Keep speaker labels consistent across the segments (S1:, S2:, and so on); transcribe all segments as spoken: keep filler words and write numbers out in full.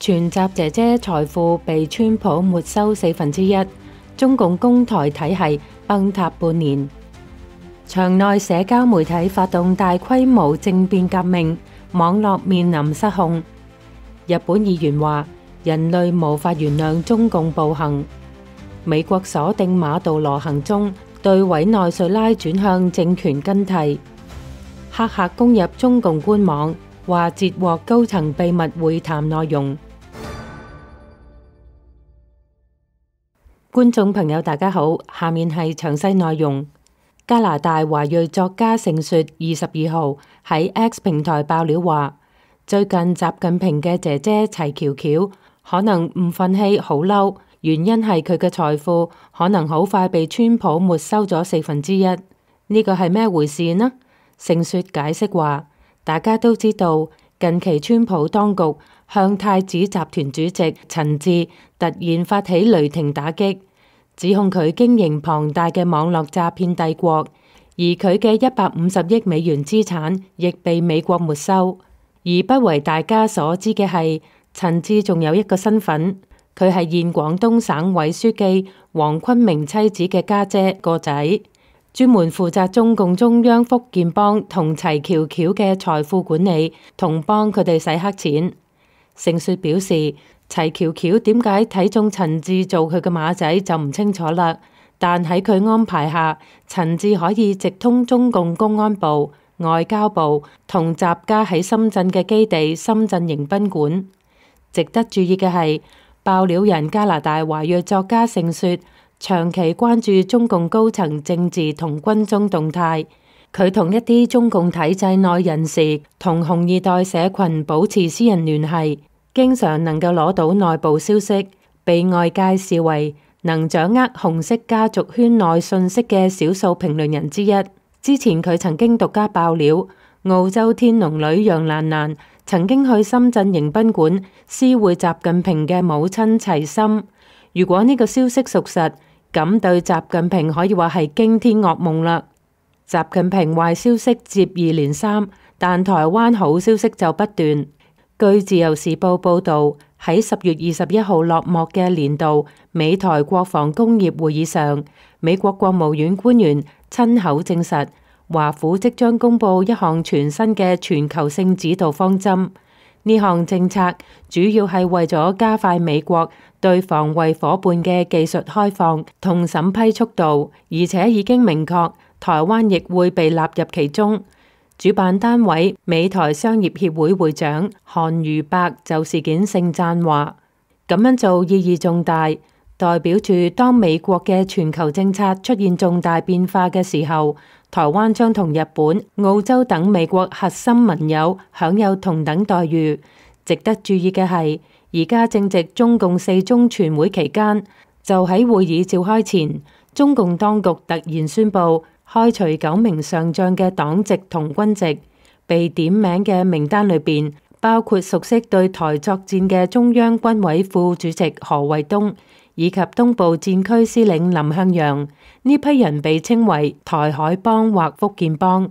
S1: 全集姐姐財富被川普沒收四分之一，中共攻台體系崩塌半年。場內社交媒體發動大規模政變革命，網絡面臨失控。日本議員話：人類無法原諒中共暴行。美國鎖定馬杜羅行蹤，對委內瑞拉轉向政權更替。黑客攻入中共官網，話截獲高層秘密會談內容。觀眾朋友大家好，下面係詳細內容。加拿大華裔作家盛雪二十二號喺 X 平台爆料話，最近習近平嘅姐姐齊喬喬可能唔忿氣好嬲，原因係佢嘅財富可能好快被川普沒收咗四分之一。呢個係咩回事呢？盛雪解釋話，大家都知道近期川普當局向太子集團主席陳志突然發起雷霆打擊，指控佢經營龐大嘅網絡詐騙帝國，而佢嘅一百五十億美元資產亦被美國沒收。而不為大家所知嘅係，陳志仲有一個身份，佢係現廣東省委書記黃坤明妻子嘅家姐個仔，專門負責中共中央福建幫同齊喬喬嘅財富管理，同幫佢哋洗黑錢。盛雪表示，齊喬喬點解睇中陳志做佢嘅馬仔就唔清楚啦，但喺佢安排下，陳志可以直通中共公安部、外交部同習家喺深圳嘅基地深圳迎賓館。值得注意嘅係，爆料人加拿大華裔作家盛雪長期關注中共高層政治同軍中動態，佢同一啲中共體制內人士同紅二代社群保持私人聯繫，經常能夠攞到內部消息，被外界視為能掌握紅色家族圈內信息嘅少數評論人之一。之前佢曾經獨家爆料，澳洲天龍女楊蘭蘭曾經去深圳迎賓館私會習近平嘅母親齊心。如果呢個消息屬實，咁對習近平可以話係驚天噩夢啦。習近平壞消息接二連三，但台灣好消息就不斷。據自由時報報道，喺十月二十一號落幕嘅年度美台國防工業會議上，美國國務院官員親口證實，華府即將公布一項全新嘅全球性指導方針。呢項政策主要係為咗加快美國對防衛夥伴嘅技術開放同審批速度，而且已經明確台灣亦會被納入其中。主辦單位美台商業協會會長韓如伯就事件盛讚話，咁樣做意義重大，代表住當美國嘅全球政策出現重大變化嘅時候，台灣將同日本、澳洲等美國核心盟友享有同等待遇。值得注意嘅係，而家正值中共四中全會期間，就喺會議召開前，中共當局突然宣布開除九名上將嘅黨籍同軍籍，被點名嘅名單裏邊包括熟悉對台作戰嘅中央軍委副主席何衛東，以及東部戰區司令林向陽。呢批人被稱為台海幫或福建幫。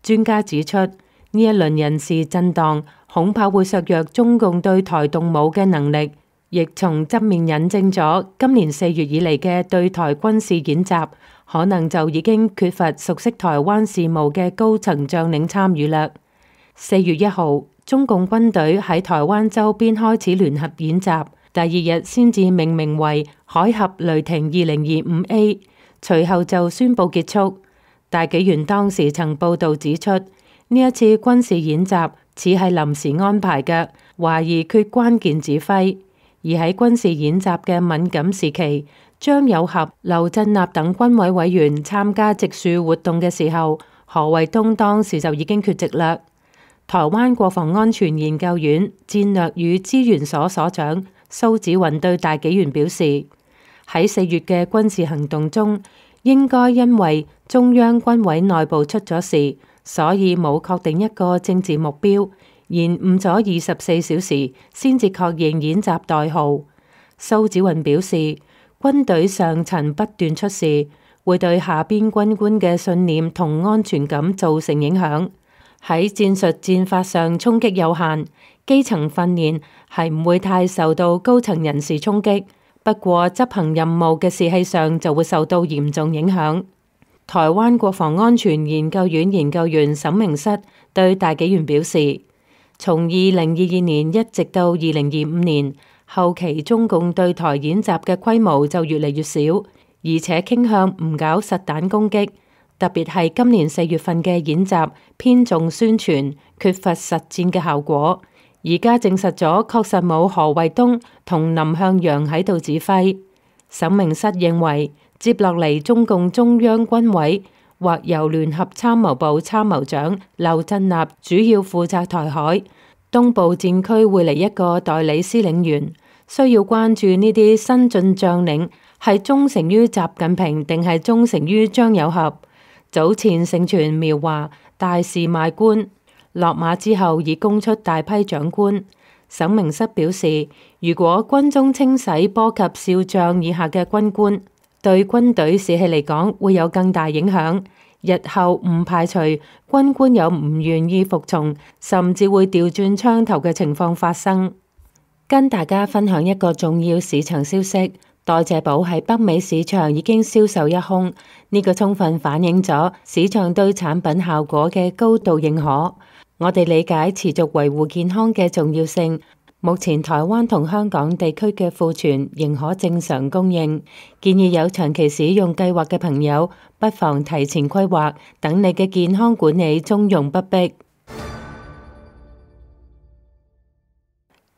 S1: 專家指出，呢一輪人事震盪恐怕會削弱中共對台動武嘅能力，亦從側面引證咗今年四月以嚟嘅對台軍事演習可能就已經缺乏熟悉台灣事務嘅高層將領參與啦。四月一號，中共軍隊喺台灣周邊開始聯合演習，第二日先至命名為海峽雷霆二零二五 A， 隨後就宣布結束。大紀元當時曾報道指出，呢一次軍事演習似係臨時安排嘅，懷疑缺關鍵指揮。而喺軍事演習嘅敏感時期，張友俠、劉振立等軍委委員參加植樹活動嘅時候，何衛東當時就已經缺席啦。台灣國防安全研究院戰略與資源所所長蘇紫雲對大紀元表示，喺四月嘅軍事行動中，應該因為中央軍委內部出咗事，所以冇確定一個政治目標，延誤咗二十四小時先至確認演習代號。蘇紫雲表示，軍隊上層不斷出事，會對下邊軍官嘅信念同安全感造成影響。喺戰術戰法上衝擊有限，基層訓練係唔會太受到高層人士衝擊，不過執行任務嘅士氣上就會受到嚴重影響。台灣國防安全研究院研究員沈明室對大紀元表示，從二零二二年一直到二零二五年後期，中共對台演習嘅規模就越嚟越少，而且傾向唔搞實彈攻擊，特別係今年四月份嘅演習偏重宣傳，缺乏實戰嘅效果。而家證實咗，確實冇何衛東同林向陽喺度指揮。沈明室認為，接落嚟中共中央軍委或由聯合參謀部參謀長劉振立主要負責台海，東部戰區會嚟一個代理司令員，需要關注呢啲新進將領係忠誠於習近平定係忠誠於張友俠。早前盛傳苗華大肆賣官，落馬之後已供出大批長官。沈明室表示，如果軍中清洗波及少將以下嘅軍官，對軍隊士氣嚟講會有更大影響。日後唔排除軍官有唔願意服從，甚至會調轉槍頭嘅情況發生。跟大家分享一個重要市場消息，代謝寶喺北美市場已經銷售一空，呢個充分反映咗市場對產品效果嘅高度認可。我哋理解持續維護健康嘅重要性。目前台灣同香港地區嘅庫存仍可正常供應，建議有長期使用計劃嘅朋友不妨提前規劃，等你嘅健康管理從容不迫。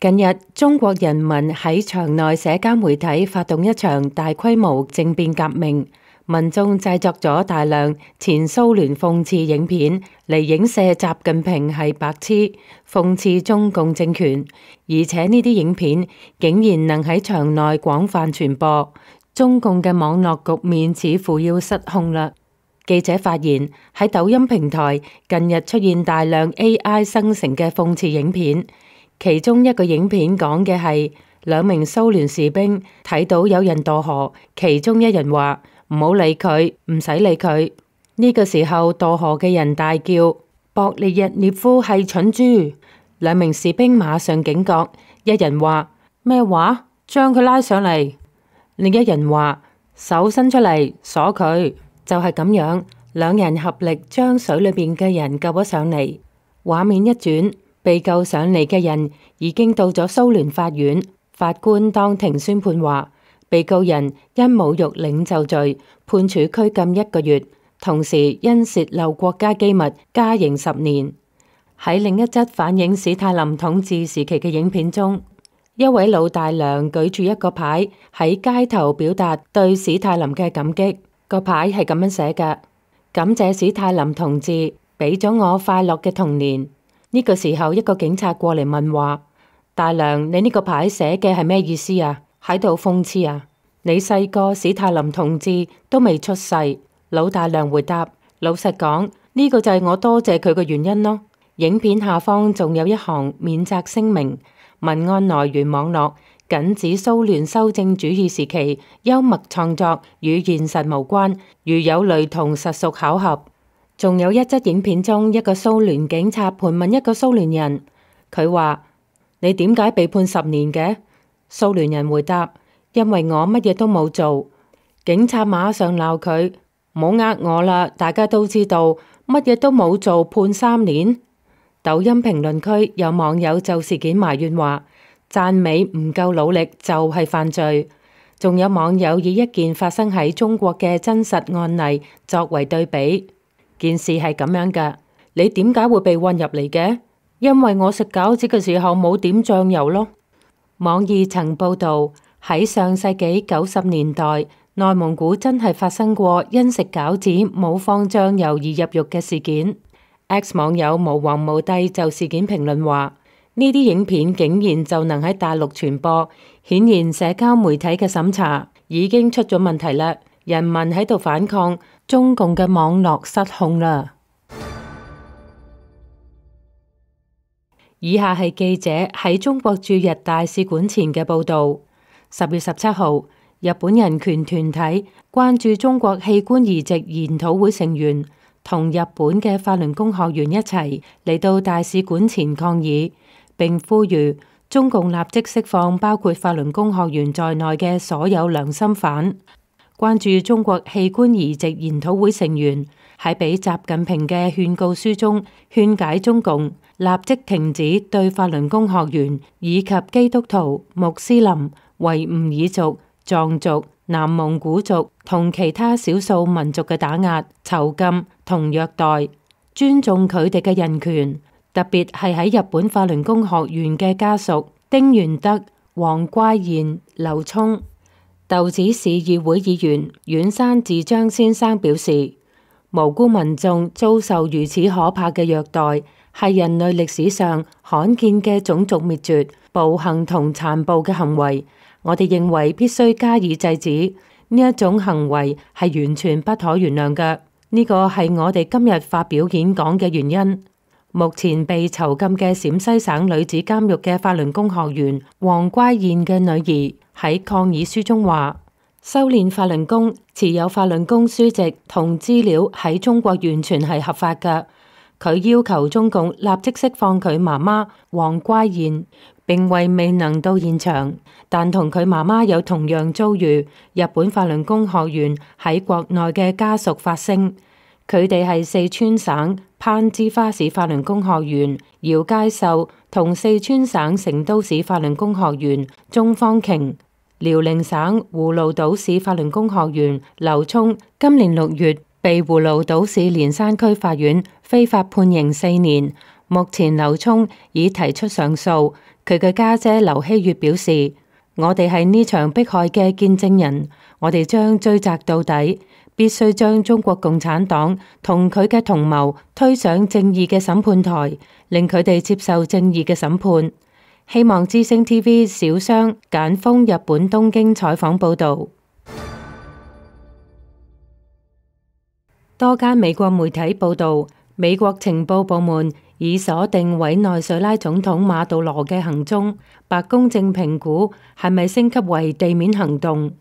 S1: 近日，中國人民喺場內社交媒體發動一場大規模政變革命，民眾製作咗大量前蘇聯諷刺影片嚟影射習近平係白痴，諷刺中共政權，而且呢啲影片竟然能喺場內廣泛傳播，中共嘅網絡局面似乎要失控啦。記者發現喺抖音平台近日出現大量 A I 生成嘅諷刺影片，其中一個影片講嘅係兩名蘇聯士兵睇到有人墮河，其中一人話唔好理佢，唔使理佢。呢個時候墮河嘅人大叫博列日涅夫係蠢豬，兩名士兵馬上警覺，一人話咩話？將佢拉上嚟，另一人話手伸出嚟鎖佢。就係咁樣，兩人合力將水裏邊嘅人救咗上嚟。畫面一轉，被救上嚟嘅人已經到咗蘇聯法院，法官當庭宣判話，被告人因侮辱領袖罪判處拘禁一個月，同時因洩漏國家機密加刑十年。喺另一則反映史太林統治時期嘅影片中，一位老大娘舉住一個牌喺街頭表達對史太林嘅感激。個牌係咁樣寫嘅：感謝史太林同志俾咗我快樂嘅童年。呢個時候，一個警察過嚟問話：大娘，你呢個牌寫嘅係咩意思啊？喺度諷刺啊？你細個史太林同志都未出世。老大娘回答：老實講，呢個就係我多謝佢嘅原因咯。影片下方仲有一行免責聲明，文案來源網絡。僅指蘇聯修正主義時期幽默創作，與現實無關。如有雷同，實屬巧合。仲有一則影片中，一個蘇聯警察盤問一個蘇聯人，佢話：你點解被判十年嘅？蘇聯人回答：因為我乜嘢都冇做。警察馬上鬧佢：唔好呃我啦，大家都知道乜嘢都冇做判三年。抖音評論區有網友就事件埋怨話：讚美唔夠努力就係犯罪。仲有網友以一件發生喺中國嘅真實案例作為對比，件事係咁樣㗎：你點解會被運入嚟嘅？因為我食餃子嘅時候冇點醬油咯。網易曾報道喺上世紀九十年代，內蒙古真係發生過因食餃子冇放醬油而入獄嘅事件。X 網友無王無帝就事件評論話：呢啲影片竟然就能喺大陸傳播，顯然社交媒體嘅審查已經出咗問題啦。人民喺度反抗，中共嘅網絡失控啦。以下係記者喺中國駐日大使館前嘅報道。十月十七號，日本人權團體關注中國器官移植研討會成員同日本嘅法輪功學員一齊嚟到大使館前抗議，並呼籲中共立即釋放包括法輪功學員在內嘅所有良心犯。關注中國器官移植研討會成員喺俾習近平嘅勸告書中勸解中共立即停止對法輪功學員以及基督徒、穆斯林、維吾爾族、藏族、南蒙古族同其他少數民族嘅打壓、囚禁同虐待，尊重佢哋嘅人權，特別係喺日本法輪功學員嘅家屬丁元德、黃乖彥、劉聰。豆子市議會議員遠山智章先生表示，無辜民眾遭受如此可怕嘅虐待，係人類歷史上罕見嘅種族滅絕、暴行同殘暴嘅行為。我哋認為必須加以制止，呢一種行為係完全不可原諒嘅。呢個係我哋今日發表演講嘅原因。目前被囚禁嘅陝西省女子監獄嘅法輪功學員黃乖彥嘅女兒喺抗議書中話，修煉法輪功、持有法輪功書籍同資料喺中國完全係合法嘅。佢要求中共立即釋放佢媽媽黃乖彥，並為未能到現場但同佢媽媽有同樣遭遇日本法輪功學員喺國內嘅家屬發聲。佢哋係四川省攀枝花市法輪功學員姚佳秀同四川省成都市法輪功學員鍾方瓊。遼寧省葫蘆島市法輪功學員劉聰今年六月被葫蘆島市連山區法院非法判刑四年，目前劉聰已提出上訴。佢嘅家姐劉希月表示，我哋係呢場迫害嘅見證人，我哋將追責到底，必須將中國共產黨同佢嘅同謀推上正義嘅審判台，令佢哋接受正義嘅審判。希望之聲 T V 小商簡峰日本東京採訪報道。多間美國媒體報道，美國情報部門已鎖定委內瑞拉總統馬杜羅嘅行蹤，白宮正評估係咪升級為地面行動。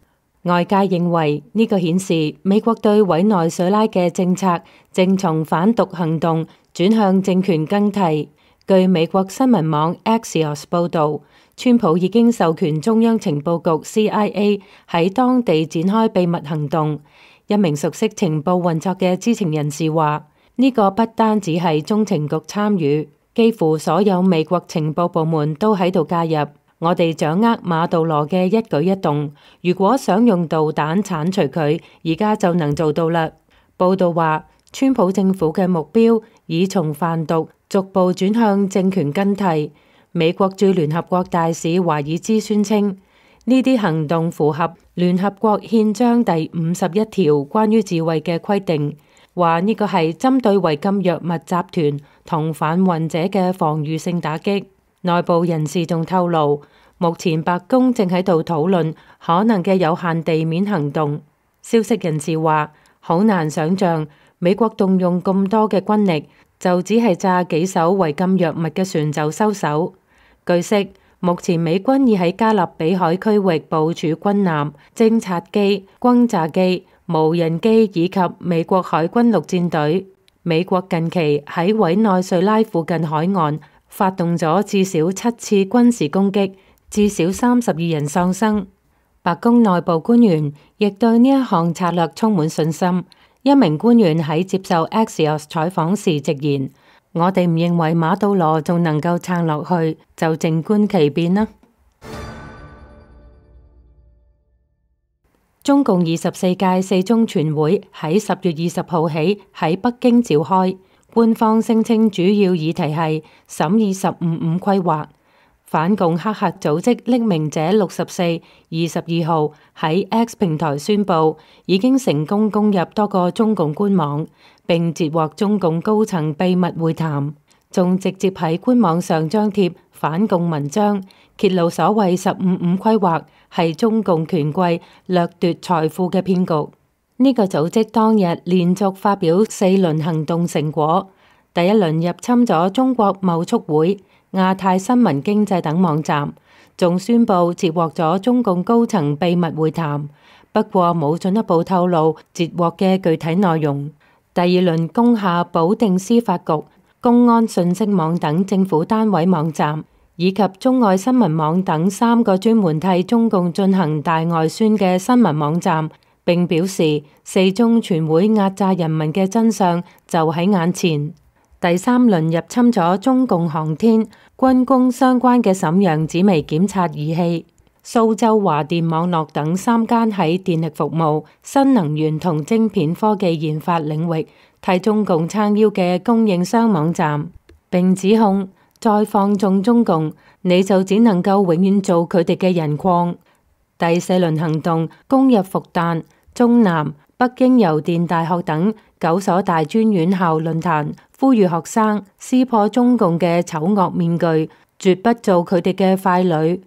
S1: 外界認為呢個顯示美國對委內瑞拉嘅政策正從反毒行動轉向政權更替。據美國新聞網 Axios 報道，川普已經授權中央情報局 C I A 喺當地展開秘密行動。一名熟悉情報運作嘅知情人士話，呢個不單只係中情局參與，幾乎所有美國情報部門都喺度介入。我哋掌握馬杜羅嘅一舉一動，如果想用導彈剷除佢，而家就能做到啦。報道話，川普政府嘅目標已從販毒逐步轉向政權更替。美國駐聯合國大使華爾茲宣稱，呢啲行動符合聯合國憲章第五十一條關於自衛嘅規定，話呢個係針對違禁藥物集團同販運者嘅防禦性打擊。內部人士仲透露，目前白宮正喺度討論可能嘅有限地面行動。消息人士話，好難想象美國動用咁多嘅軍力，就只係炸幾艘違禁藥物嘅船就收手。據悉，目前美軍已喺加勒比海區域部署軍艦、偵察機、轟炸機、無人機以及美國海軍陸戰隊。美國近期喺委內瑞拉附近海岸發動咗至少七次軍事攻擊，至少三十二人喪生。白宮內部官員亦對呢一項策略充滿信心。一名官員喺接受 Axios 採訪時直言，我哋唔認為馬杜羅仲能夠撐落去，就靜觀其變啦。中共二十四屆四中全會喺十月二十號起喺北京召開，官方聲稱主要議題係審議十五五規劃。反共黑客組織匿名者六十四二十二號喺 X 平台宣布，已經成功攻入多個中共官網，並截獲中共高層秘密會談，仲直接喺官網上張貼反共文章，揭露所謂十五五規劃係中共權貴掠奪財富嘅騙局。呢、這個組織當日連續發表四輪行動成果，第一輪入侵咗中國貿促會、亞太新聞經濟等網站，仲宣布截獲咗中共高層秘密會談，不過冇進一步透露截獲嘅具體內容。第二輪攻下保定司法局、公安信息網等政府單位網站，以及中外新聞網等三個專門替中共進行大外宣嘅新聞網站，並表示四中全會壓榨人民嘅真相就喺眼前。第三輪入侵咗中共航天、軍工相關嘅瀋陽紫微檢測儀器。蘇州華電網絡等三間喺電力服務、新能源同晶片科技研發領域替中共撐腰嘅供應商網站，並指控再放縱中共，你就只能夠永遠做佢哋嘅人礦。第四輪行動攻入復旦、中南、北京郵電大學等九所大專院校論壇，呼籲學生撕破中共嘅醜惡面具，絕不做佢哋嘅傀儡。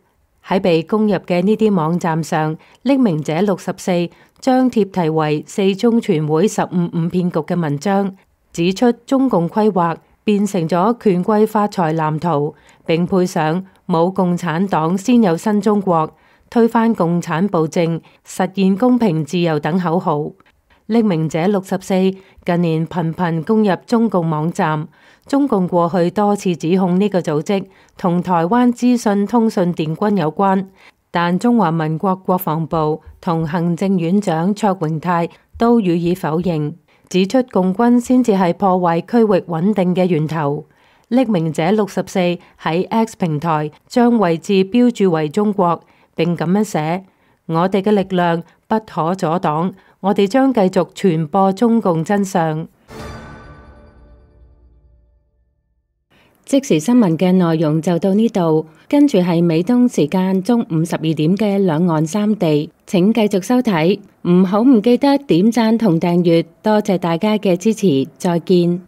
S1: 喺被攻入嘅呢啲網站上，匿名者六十四張貼題為《四中全會十五五騙局》嘅文章，指出中共規劃變成咗權貴發財藍圖，並配上冇共產黨先有新中國、推翻共產暴政、實現公平自由等口號。匿名者六十四近年頻頻攻入中共網站，中共過去多次指控呢個組織同台灣資訊通訊電軍有關，但中華民國國防部同行政院長卓榮泰都予以否認，指出共軍先至係破壞區域穩定嘅源頭。匿名者六十四喺 X 平台將位置標注為中國，並咁樣寫：我哋嘅力量不可阻擋，我哋將繼續傳播中共真相。即時新聞嘅內容就到呢度，跟住係美東時間中午十二點嘅兩岸三地，請繼續收睇，唔好唔記得點讚同訂閱，多謝大家嘅支持，再見。